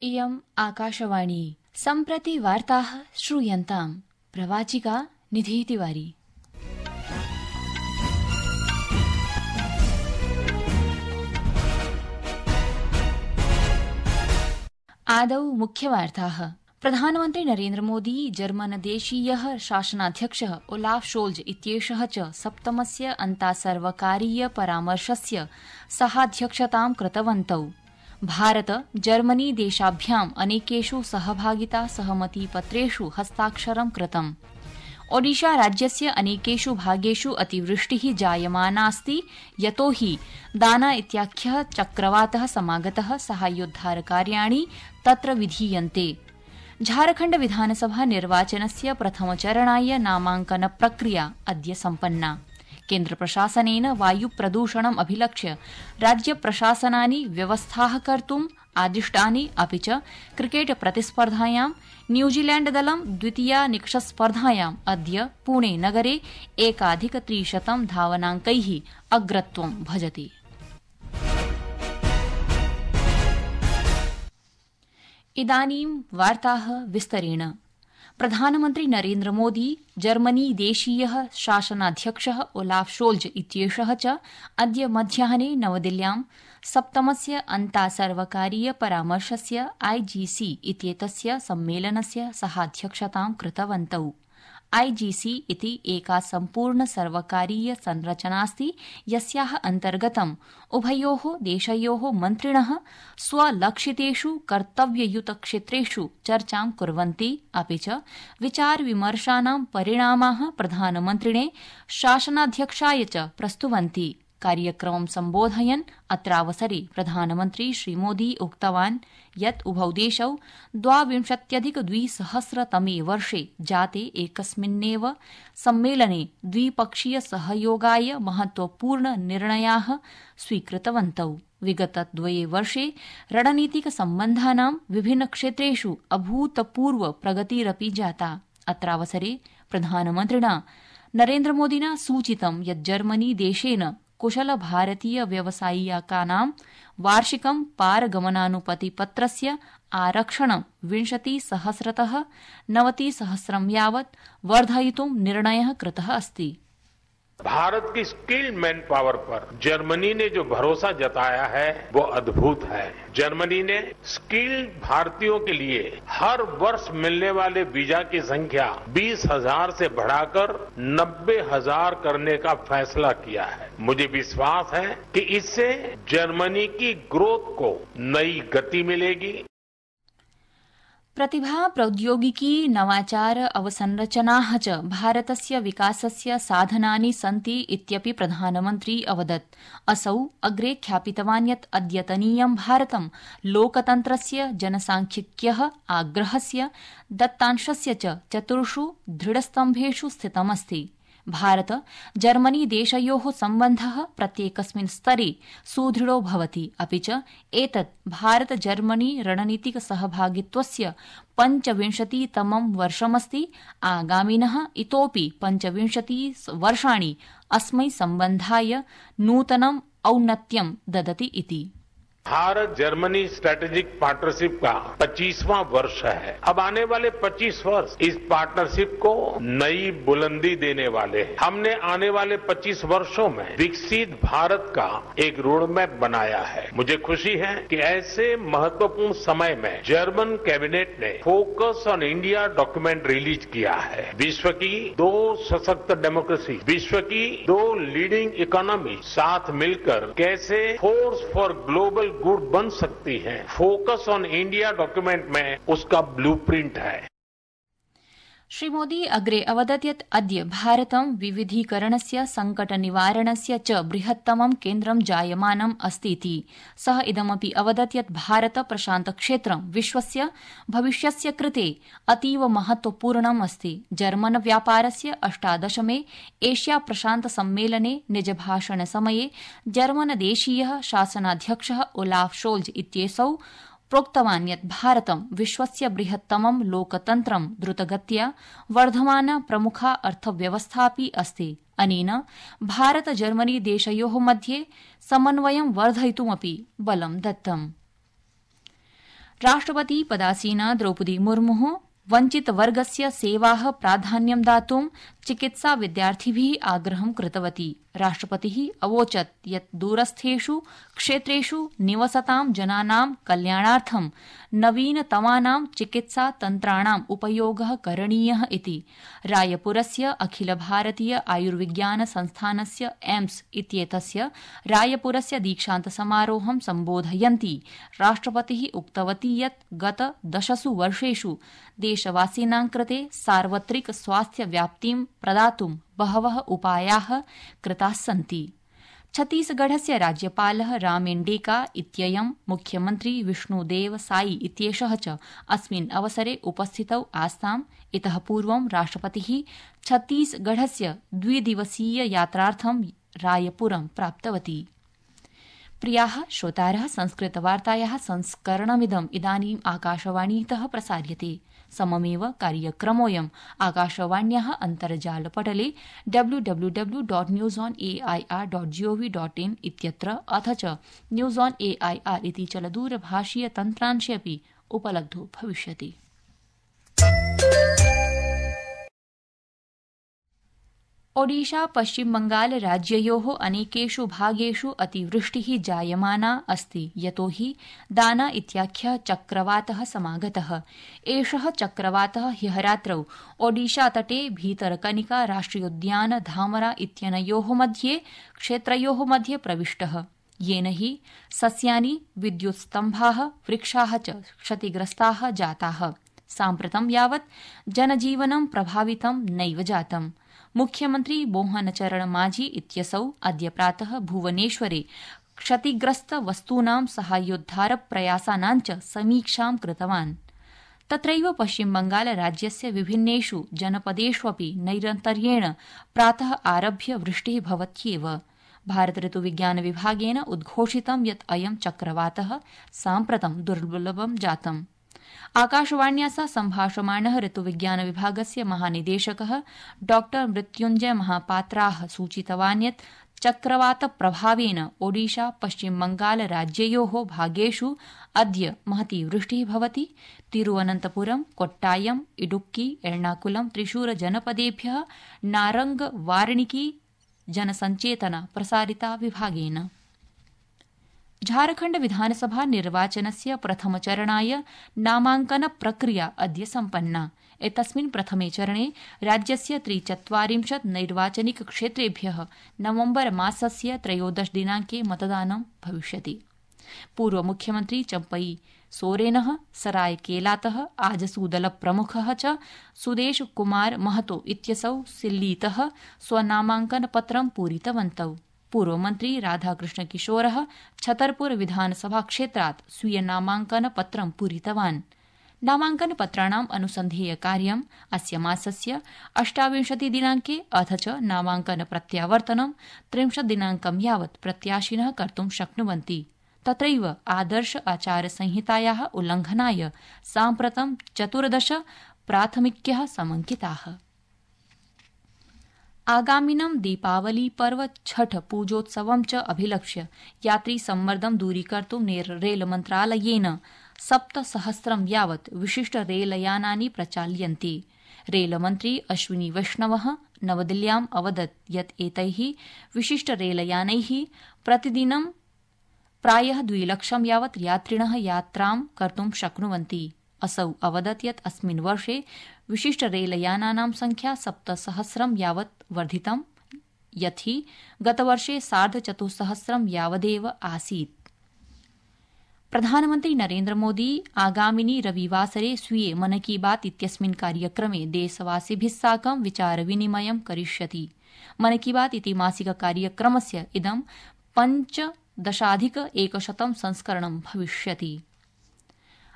इयम् आकाशवाणी सम्प्रति वार्ताः श्रूयन्ताम् प्रवाचिका निधि तिवारी। आदौ मुख्यवार्ताः। प्रधानमन्त्री नरेन्द्र मोदी जर्मनदेशीयः शासनाध्यक्षः ओलाफ शोल्ज इत्येषः च सप्तमस्य अन्तासर्वकारीय परामर्शस्य सहाध्यक्षतां कृतवन्तौ। भारत जर्मनी देशाभ्याम् अनेकेषु सहभागिता सहमतिपत्रेषु हस्ताक्षरं कृतम्। ओडिशा राज्यस्य अनेकेषु भागेषु अतिवृष्टिः जायमानास्ति यतो हि दाना इत्याख्यः चक्रवातः समागतः साहाय्योद्धारकार्याणि तत्र विधीयन्ते। झारखण्ड विधानसभा निर्वाचनस्य प्रथमचरणाय नामाङ्कन प्रक्रिया अद्य सम्पन्ना। केन्द्रप्रशासनेन वायुप्रदूषणम् अभिलक्ष्य राज्यप्रशासनानि व्यवस्थाः कर्तुम् आदिष्टानि। अपि च क्रिकेट प्रतिस्पर्धायां न्यूजीलैण्डदलं द्वितीया निकषस्पर्धायाम् अद्य पुणे नगरे 1,300 धावनाङ्कैः अग्रत्वं भजति। इदानीं वार्ताः विस्तरेण। प्रधानमन्त्री नरेन्द्र मोदी जर्मनी देशीयः शासनाध्यक्षः ओलाफ शोल्ज इत्येषः च अद्य मध्याह्ने नवदिल्ल्यां सप्तमस्य अन्तासर्वकारीय परामर्शस्य IGC इत्येतस्य सम्मेलनस्य सहाध्यक्षतां कृतवन्तौ। IGC इति एका सम्पूर्ण सर्वकारीय संरचनास्ति यस्याः अन्तर्गतम् उभयोः देशयोः मन्त्रिणः स्वलक्षितेषु कर्तव्ययुतक्षेत्रेषु चर्चां कुर्वन्ति। अपि च विचारविमर्शानां परिणामाः प्रधानमन्त्रिणे शासनाध्यक्षाय च प्रस्तुवन्ति। कार्यक्रमं सम्बोधयन् अत्रावसरे प्रधानमन्त्री श्रीमोदी उक्तवान् यत् उभौ देशौ 2020 वर्षे जाते एकस्मिन्नेव सम्मेलने द्विपक्षीय सहयोगाय महत्वपूर्ण निर्णयाः स्वीकृतवन्तौ। विगत 2 वर्षे रणनीतिक सम्बन्धानां विभिन्नक्षेत्रेषु अभूतपूर्व प्रगतिरपि जाता। अत्रावसरे प्रधानमन्त्रिणा नरेन्द्र मोदिना सूचितं यत् जर्मनी देशेन कुशल भारतीय व्यवसायिकानां वार्षिकं पारगमनानुमतिपत्रस्य आरक्षणं 20,000तः 90,000 यावत् वर्धयितुं निर्णयः कृतः अस्ति। भारत की स्किल्ड मैन पावर पर जर्मनी ने जो भरोसा जताया है वो अद्भुत है। जर्मनी ने स्किल्ड भारतीयों के लिए हर वर्ष मिलने वाले वीजा की संख्या 20,000 से बढ़ाकर 90,000 करने का फैसला किया है। मुझे विश्वास है कि इससे जर्मनी की ग्रोथ को नई गति मिलेगी। प्रतिभा प्रौद्योगिकी नवाचार अवसंरचनाः च भारतस्य विकासस्य साधनानि सन्ति इत्यपि प्रधानमन्त्री अवदत्। असौ अग्रे ख्यापितवान् यत् अद्यतनीयं भारतं लोकतन्त्रस्य जनसांख्यिक्यः आग्रहस्य दत्तांशस्य च 4 दृढस्तम्भेषु स्थितमस्ति। भारत जर्मनी देशयोः सम्बन्धः प्रत्येकस्मिन् स्तरे सुदृढो भवति। अपि च एतत् भारत जर्मनी रणनीतिक सहभागित्वस्य 25तमं वर्षमस्ति। आगामिनः इतोऽपि 25 वर्षाणि अस्मै सम्बन्धाय नूतनम् औन्नत्यं ददति इति। भारत जर्मनी स्ट्रेटेजिक पार्टनरशिप का 25वां वर्ष है। अब आने वाले 25 वर्ष इस पार्टनरशिप को नई बुलंदी देने वाले हैं। हमने आने वाले 25 वर्षों में विकसित भारत का एक रोड मैप बनाया है। मुझे खुशी है कि ऐसे महत्वपूर्ण समय में जर्मन कैबिनेट ने focus on India document release किया है। विश्व की 2 सशक्त डेमोक्रेसी, विश्व की 2 लीडिंग इकोनॉमी साथ मिलकर कैसे फोर्स फॉर ग्लोबल गुड बन सकती है। फोकस ऑन इंडिया डॉक्यूमेंट में उसका ब्लूप्रिंट है। श्री मोदी अग्रे अवदत् यत् अद्य भारतं विविधीकरणस्य संकट निवारणस्य च बृहत्तमं केन्द्रं जायमानम् अस्तीति। सः इदमपि अवदत् यत् भारत प्रशान्त क्षेत्रं विश्वस्य भविष्यस्य कृते अतीव महत्वपूर्णम् अस्ति। जर्मन व्यापारस्य 18मे एशिया प्रशान्त सम्मेलने निजभाषणसमये जर्मनदेशीयः शासनाध्यक्षः ओलाफ शोल्ज इत्येसौ प्रोक्तवान् यत् भारतं विश्वस्य बृहत्तमं लोकतन्त्रं द्रुतगत्या वर्धमाना प्रमुखा अर्थव्यवस्थापि अस्ति। अनेन भारत जर्मनी देशयोः मध्ये समन्वयं वर्धयितुमपि बलं दत्तम्। राष्ट्रपति पदासीना द्रौपदी मुर्मुः वंचित वर्गस्य सेवाः प्राधान्यं दातुं चिकित्सा विद्यार्थिभिः आग्रहं कृतवती। राष्ट्रपतिः अवोचत् यत् दूरस्थेषु क्षेत्रेषु निवसतां जनानां कल्याणार्थं नवीनतमानां चिकित्सा तन्त्राणाम् उपयोगः करणीयः इति। रायपुरस्य अखिल भारतीय आयुर्विज्ञान संस्थानस्य एम्स इत्येतस्य रायपुरस्य दीक्षान्त समारोहं सम्बोधयन्ती राष्ट्रपतिः उक्तवती यत् गत 10 वर्षेषु देशवासिनां कृते सार्वत्रिक स्वास्थ्य व्याप्तिं प्रदातुं बहवः उपायाः कृताः सन्ति। छत्तीसगढ़स्य राज्यपालः रामेन डेका इत्ययं मुख्यमन्त्री विष्णुदेव साई इत्येषः च अस्मिन् अवसरे उपस्थितौ आस्ताम्। इतः पूर्वं राष्ट्रपतिः छत्तीसगढ़स्य 2 दिवसीय यात्रार्थं रायपुरं प्राप्तवती। प्रियाः श्रोतारः, संस्कृतवार्तायाः संस्करणमिदम् इदानीम् आकाशवाणीतः प्रसार्यते। सममेव कार्यक्रमोऽयम् आकाशवाण्याः अन्तर्जालपटले www.newsonair.gov.in इत्यत्र अथ च न्यूज़ ऑन एआईआर इति चलदूरभाषीय तन्त्रांशे अपि उपलब्धो भविष्यति। ओडिशा पश्चिम बंगाल राज्ययोः अनेकेषु भागेषु अतिवृष्टिः जायमाना अस्ति, यतोहि दाना इत्याख्यः चक्रवातः समागतः। एषः चक्रवातः ह्यः रात्रौ ओडिशा तटे भीतरकनिका राष्ट्रियोद्यान धामरा इत्यनयोः मध्ये क्षेत्रयोः मध्ये प्रविष्टः, येन हि सस्यानि, विद्युत्स्तम्भाः, वृक्षाः च क्षतिग्रस्ताः जाताः। साम्प्रतं यावत् जनजीवनं प्रभावितं नैव जातम्। मुख्यमन्त्री मोहनचरण माझी इत्यसौ अद्य प्रातः भुवनेश्वरे क्षतिग्रस्त वस्तूनां साहाय्योद्धार प्रयासानां च समीक्षां कृतवान्। तत्रैव पश्चिम बंगाल राज्यस्य विभिन्नेषु जनपदेष्वपि नैरन्तर्येण प्रातः आरभ्य वृष्टिः भवत्येव। भारत ऋतुविज्ञान विभागेन उद्घोषितं यत् अयं चक्रवातः साम्प्रतं दुर्लभं जातम्। आकाशवाण्या सह सम्भाषमाणः ऋतुविज्ञान विभागस्य महानिदेशकः डॉ मृत्युञ्जय महापात्राः सूचितवान् यत् चक्रवात प्रभावेन ओडिशा पश्चिम बंगाल राज्ययोः भागेषु अद्य महती वृष्टिः भवति। तिरुवनन्तपुरम, कोट्टायम, इडुक्की, एर्णाकुलम, त्रिशूर जनपदेभ्यः नारंग वार्णिकी जनसंचेतना प्रसारिता विभागेन। झारखण्ड विधानसभा निर्वाचनस्य प्रथमचरणाय नामांकन प्रक्रिया अद्य सम्पन्ना। एतस्मिन् प्रथमे चरणे राज्यस्य 43 नैर्वाचनिक क्षेत्रेभ्यः नवम्बर मासस्य 13 दिनाङ्के मतदानं भविष्यति। पूर्व मुख्यमन्त्री चम्पई सोरेनः सरायकेलातः आजसूदल प्रमुखः च सुदेश कुमार महतो इत्यसौ सिल्लीतः स्वनामांकनपत्रं पूरितवन्तौ। पूर्वमन्त्री राधाकृष्ण किशोरः छतरपुर विधानसभा क्षेत्रात् स्वीय नामांकनपत्रं पूरितवान्। नामांकनपत्राणाम् अनुसन्धेयकार्यम् अस्य मासस्य 28 दिनाङ्के अथ च नामांकन प्रत्यावर्तनं 30 दिनाङ्कं यावत् प्रत्याशिनः कर्तुं शक्नुवन्ति। तत्रैव आदर्श आचारसंहितायाः उल्लंघनाय साम्प्रतं 14 प्राथमिक्यः समंकिताः। आगामिनं दीपावली पर्व छठ पूजोत्सवं च अभिलक्ष्य यात्री सम्मर्दं दूरीकर्तुं रेलमन्त्रालयेन 7,000 यावत् विशिष्ट रेलयानानि प्रचाल्यन्ते। रेलमन्त्री अश्विनी वैष्णवः नवदिल्ल्याम् अवदत् यत् एतैः विशिष्ट रेलयानैः प्रतिदिनं प्रायः 2 लक्षं यावत् यात्रिणः यात्रां कर्तुं शक्नुवन्ति। असौ अवदत् यत् अस्मिन् वर्षे विशिष्ट रेलयानानां संख्या 7,000 यावत् वर्धितं, यत् हि गतवर्षे 4,500 यावदेव आसीत्। प्रधानमन्त्री नरेन्द्र मोदी आगामिनि रविवासरे स्वीये मन की बात इत्यस्मिन् कार्यक्रमे देशवासिभिः साकं विचारविनिमयं करिष्यति। मन की बात इति मासिक कार्यक्रमस्य इदं 15,100 संस्करणं भविष्यति।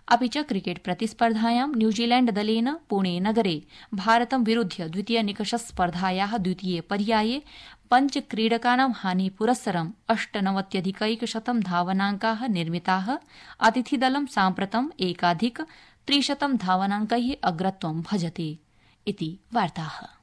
अपि च क्रिकेट प्रतिस्पर्धायां न्यूजीलैण्ड दलेन पुणे नगरे भारतं विरुध्य द्वितीय निकषस्पर्धायाः द्वितीये पर्याये 5 क्रीडकानां हानिपुरस्सरं 98,100 धावनाङ्काः निर्मिताः। अतिथिदलं साम्प्रतं 1,300 धावनाङ्कैः अग्रत्वं भजते। इति वार्ताः।